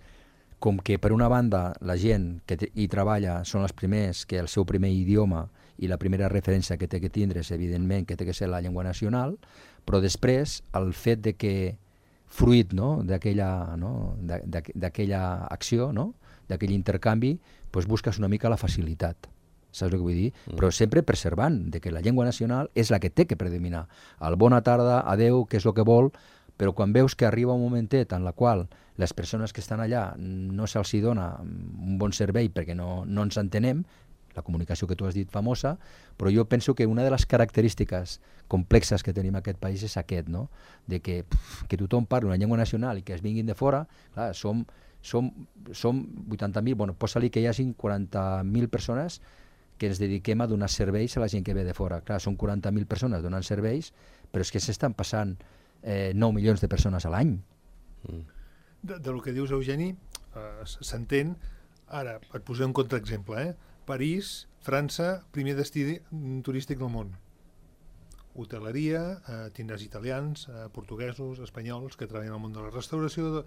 com que per una banda la gent que hi treballa són els primers que el seu primer idioma i la primera referència que té que tindre és evidentment que té que ser la llengua nacional, però després el fet de que fruit no, d'aquella no, d'aquella acció, no, d'aquell intercanvi, pues busques una mica la facilitat. Saps el que vull dir? Mm. Però sempre preservant de que la llengua nacional és la que té que predominar. El bona tarda, adeu, que és el que vol, però quan veus que arriba un momentet en la qual les persones que estan allà no se'ls dona un bon servei perquè no, no ens entenem, la comunicació que tu has dit famosa, però jo penso que una de les característiques complexes que tenim en aquest país és aquest, no? De que, pff, que tothom parli una llengua nacional i que es vinguin de fora, clar, som, som, som vuitanta mil, bueno, posa-li que hi hagi quaranta mil persones que ens dediquem a donar serveis a la gent que ve de fora. Clar, són quaranta mil persones donant serveis, però és que s'estan passant eh, nou milions de persones a l'any. Mm. De, de lo que dius, Eugeni, eh, s'entén. Ara, et posaré un contraexemple, eh? París, França, primer destí turístic del món. Hoteleria, eh, tindràs italians, eh, portuguesos, espanyols, que treballen al món de la restauració. De...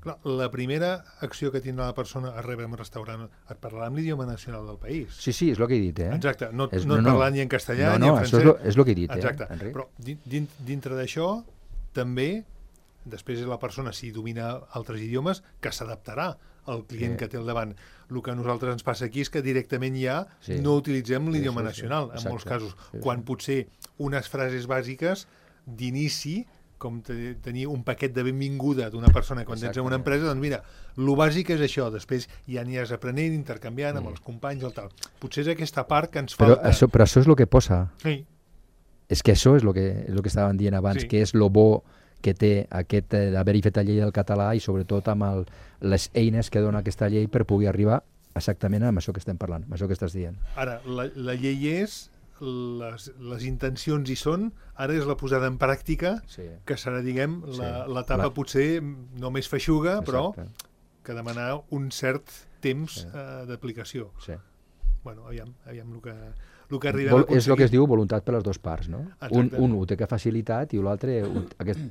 Clar, la primera acció que tindrà la persona a rebre en un restaurant et parlarà amb l'idioma nacional del país. Sí, sí, és el que he dit, eh? Exacte, no, és, no, no et no. parlarà ni en castellà no, ni no, en francès. Això és el que he dit, exacte. eh, Enric? Però din, dintre d'això, també, després la persona, si domina altres idiomes, que s'adaptarà al client sí. que té al davant. El que a nosaltres ens passa aquí és que directament ja sí. no utilitzem l'idioma sí, sí, nacional, sí. en molts casos, sí, sí. quan potser unes frases bàsiques d'inici, com te, tenir un paquet de benvinguda d'una persona quan tens en una empresa, doncs mira, el bàsic és això, després ja n'hi has aprenent, intercanviant mm. amb els companys, el tal. Potser és aquesta part que ens però falta. Això, però això és el que posa. Sí. És que això és el que, és el que estàvem dient abans, sí. que és el bo que té aquest eh, d'haver-hi fet la llei del català i sobretot amb el, les eines que dona aquesta llei per poder arribar exactament amb això que estem parlant, amb això que estàs dient. Ara, la, la llei és, les, les intencions hi són, ara és la posada en pràctica, sí. que serà, diguem, l'etapa sí. potser no més feixuga, exacte. Però que demanar un cert temps sí. eh, d'aplicació. Sí. Bueno, aviam, aviam el que... El que Vol, és el que es diu voluntat per les dues parts, no? Un, un ho té que facilitat i l'altre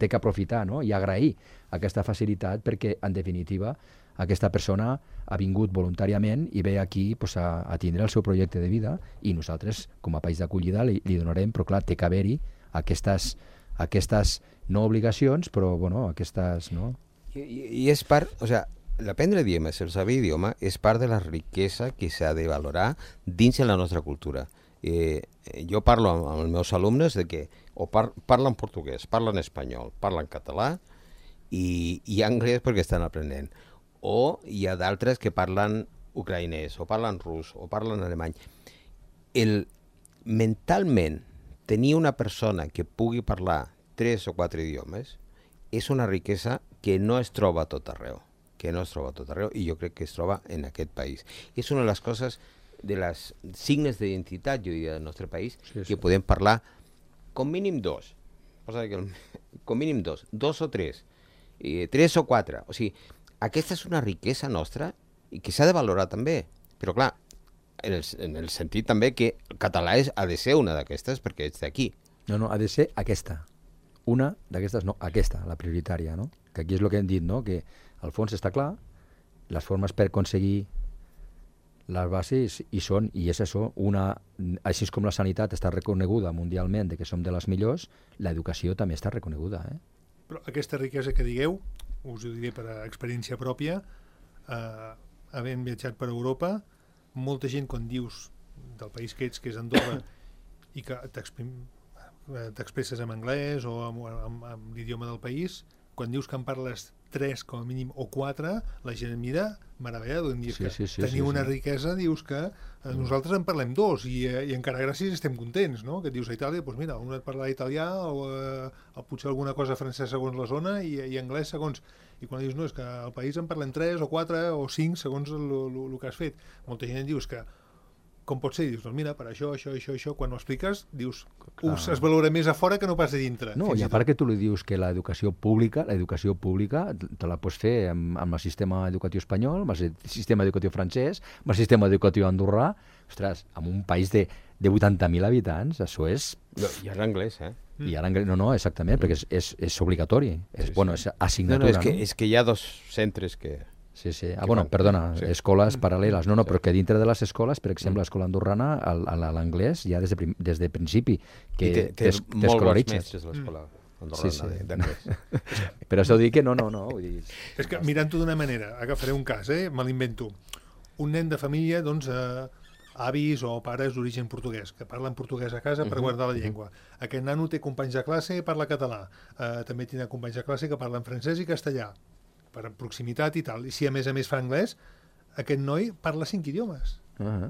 té que aprofitar, no? I agrair aquesta facilitat perquè, en definitiva, aquesta persona ha vingut voluntàriament i ve aquí pues, a, a tindre el seu projecte de vida i nosaltres, com a país d'acollida, li, li donarem, però clar, té que haver-hi aquestes, aquestes no obligacions, però bueno, aquestes... No? I, i és part... O sea, l'aprendre idiomes, el saber idioma, és part de la riquesa que s'ha de valorar dins de la nostra cultura. Eh, jo parlo amb, amb els meus alumnes de que o par parlen portuguès, parlen espanyol, parlen català i, i anglès perquè estan aprenent. O hi ha d'altres que parlen ucraïnès, o parlen rus, o parlen alemany. El, mentalment, tenir una persona que pugui parlar tres o quatre idiomes és una riquesa que no es troba a tot arreu. que no es troba a tot arreu i jo crec que es troba en aquest país. És una de les coses, de les signes d'identitat, jo diria, del nostre país, sí, sí. que podem parlar com mínim dos, com mínim dos, dos o tres, eh, tres o quatre. O sigui, aquesta és una riquesa nostra i que s'ha de valorar també. Però clar, en el, en el sentit també que el català és, ha de ser una d'aquestes perquè ets d'aquí. No, no, ha de ser aquesta. Una d'aquestes, no, aquesta, la prioritària, no? Que aquí és el que hem dit, no? Que al fons està clar, les formes per aconseguir les bases hi són, i és això, una, així com la sanitat està reconeguda mundialment de que som de les millors, l'educació també està reconeguda. Eh? Però aquesta riquesa que digueu, us ho diré per experiència pròpia, eh, havent viatjat per Europa, molta gent quan dius del país que ets, que és Andorra, i que t'expresses en anglès o amb, amb, amb l'idioma del país, quan dius que en parles tres com a mínim o quatre, la gent mira meravellada, dius sí, que sí, sí, teniu sí, una sí. riquesa, dius que eh, nosaltres en parlem dos i, eh, i encara gràcies estem contents, no? Que et dius a Itàlia, doncs mira, un et parla italià o, eh, o potser alguna cosa francès segons la zona i, i anglès segons... I quan dius, no, és que al país en parlem tres o quatre o cinc segons el que has fet. Molta gent dius que com pot ser? I dius, doncs mira, per això, això, això, això, quan ho expliques, dius, us, es valora més a fora que no pas a dintre. No, i a part que tu li dius que l'educació pública, l'educació pública te la pots fer amb, amb el sistema educatiu espanyol, amb el sistema educatiu francès, amb el sistema educatiu andorrà. Ostres, en un país de, de vuitanta mil habitants, això és... No, I ara anglès, eh? I ara anglès, no, no, exactament, perquè és, és, és obligatori, és, Sí, bueno, sí. és assignatura, No, no, és que, no? és que hi ha dos centres que... Sí, sí. Ah, bueno, perdona, Sí. escoles paral·leles. No, no, però que dintre de les escoles, per exemple, l'escola andorrana, el- el- l'anglès ja des de, prim, des de principi, que I té, té t'es- molt bons t'escolaritzes. mestres l'escola andorrana Sí, sí. de- d'anglès. Per això dic que no, no, no. Vull dir, És que mirant-ho d'una manera, agafaré un cas, eh? Me l'invento. Un nen de família, doncs, eh, avis o pares d'origen portuguès, que parlen portuguès a casa per guardar la llengua. Aquest nano té companys de classe i parla català. Eh, també tindrà companys de classe que parlen francès i castellà, per proximitat i tal. I si a més a més fa anglès, aquest noi parla cinc idiomes. ah,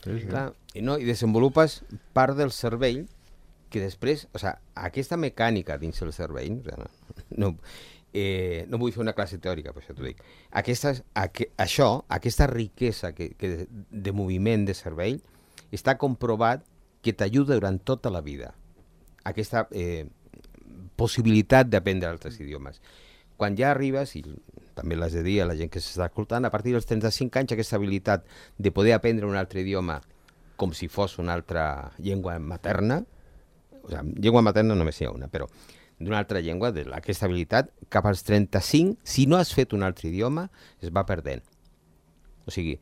sí, sí. Clar, i, no, i desenvolupes part del cervell que després, o sigui, aquesta mecànica dins el cervell, o sigui, no, no, eh, no vull fer una classe teòrica, per això t'ho dic, aquesta, aqu això, aquesta riquesa que, que de, de moviment de cervell, està comprovat que t'ajuda durant tota la vida. Aquesta eh, possibilitat d'aprendre altres idiomes. Quan ja arribes, i també l'has de dir a la gent que s'està escoltant, a partir dels trenta-cinc anys aquesta habilitat de poder aprendre un altre idioma com si fos una altra llengua materna, o sigui, llengua materna només hi ha una, però d'una altra llengua, de aquesta habilitat, cap als trenta-cinc, si no has fet un altre idioma, es va perdent. O sigui,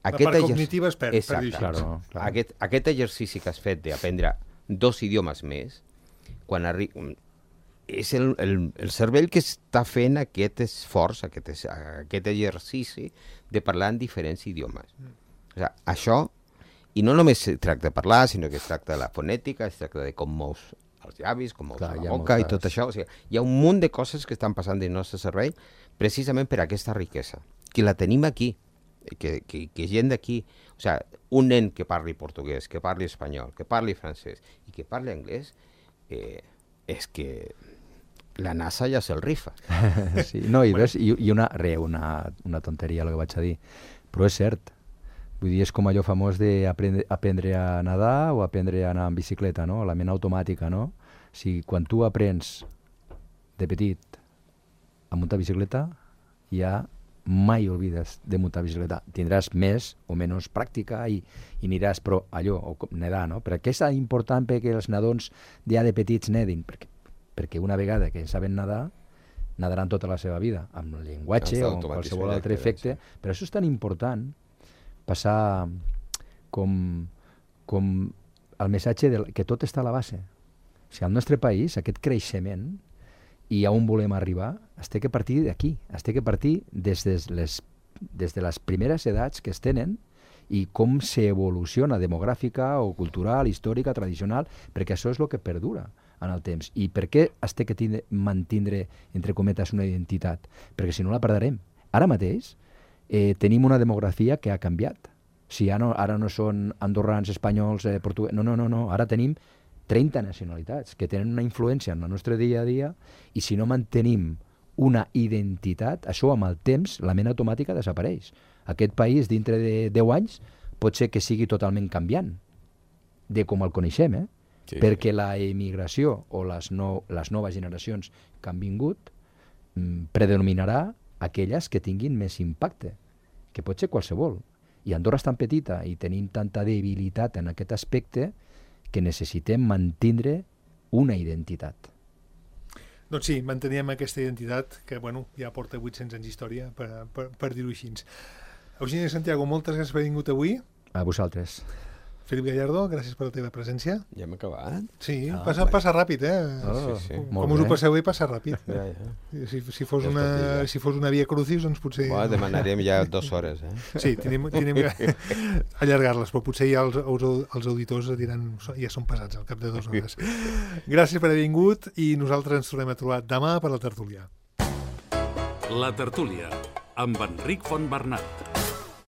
La aquest part exerc- cognitiva es perd, per Exacte. dir-ho així. Claro, claro. Aquest, aquest exercici que has fet d'aprendre dos idiomes més, quan arri... és el, el, el cervell que està fent aquest esforç, aquest, es- aquest exercici de parlar en diferents idiomes. Mm. O sigui, això, i no només es tracta de parlar, sinó que es tracta de la fonètica, es tracta de com mous els llavis, com mous Clar, la hi ha boca i moltes- tot això. O sigui, hi ha un munt de coses que estan passant dins el nostre cervell precisament per aquesta riquesa, que la tenim aquí, que, que, que gent d'aquí, o sigui, un nen que parli portuguès, que parli espanyol, que parli francès i que parli anglès, eh, és que la NASA ja se'l rifa. Sí, no, i, ves, i, i una, re, una, una tonteria el que vaig a dir, però és cert. Vull dir, és com allò famós d'aprendre aprendre a nedar o aprendre a anar en bicicleta, no? La ment automàtica, no? Si quan tu aprens de petit a muntar bicicleta, ja mai oblides de muntar bicicleta. Tindràs més o menys pràctica i, i aniràs, però allò, o com nedar, no? Per què és important perquè els nadons ja de petits nedin? Perquè, perquè una vegada que saben nedar, nadaran tota la seva vida, amb el llenguatge Està o amb automatitzat, qualsevol altre queda, efecte. sí. Per això és tan important passar com, com el missatge de, que tot està a la base. O sigui, al nostre país, aquest creixement i a on volem arribar, es té que partir d'aquí, es té que partir des de les, des de les primeres edats que es tenen i com s'evoluciona demogràfica o cultural, històrica, tradicional, perquè això és el que perdura en el temps. I per què es té que tindre, mantindre, entre cometes, una identitat? Perquè si no la perdrem. Ara mateix eh, tenim una demografia que ha canviat. Si ja no, ara no són andorrans, espanyols, eh, portuguesos... No, no, no, no. Ara tenim trenta nacionalitats que tenen una influència en el nostre dia a dia i si no mantenim una identitat, això amb el temps, la ment automàtica desapareix. Aquest país, dintre de deu anys, pot ser que sigui totalment canviant de com el coneixem, eh? Sí, Perquè la emigració o les, no, les noves generacions que han vingut mm, predominarà aquelles que tinguin més impacte, que pot ser qualsevol. I Andorra és tan petita i tenim tanta debilitat en aquest aspecte que necessitem mantindre una identitat. Doncs sí, manteníem aquesta identitat que bueno, ja porta vuit-cents anys d'història, per, per, per dir-ho així. Eugeni Santiago, moltes gràcies per haver vingut avui. A vosaltres. Felip Gallardo, gràcies per la teva presència. Ja hem acabat? Sí, Ah, passa, bé. passa ràpid, eh? Oh, sí, sí. molt Com us ho bé. passeu bé, passa ràpid. Ja, ja. Si, si, fos Ja es una, pot dir, ja. si fos una via crucis, doncs potser... Buah, demanarem ja dues hores, eh? Sí, tenim, tenim que allargar-les, però potser ja els, els, els auditors diran ja són pesats al cap de dues hores. Gràcies per haver vingut i nosaltres ens tornem a trobar demà per la tertúlia. La tertúlia, amb Enric Fontbernat.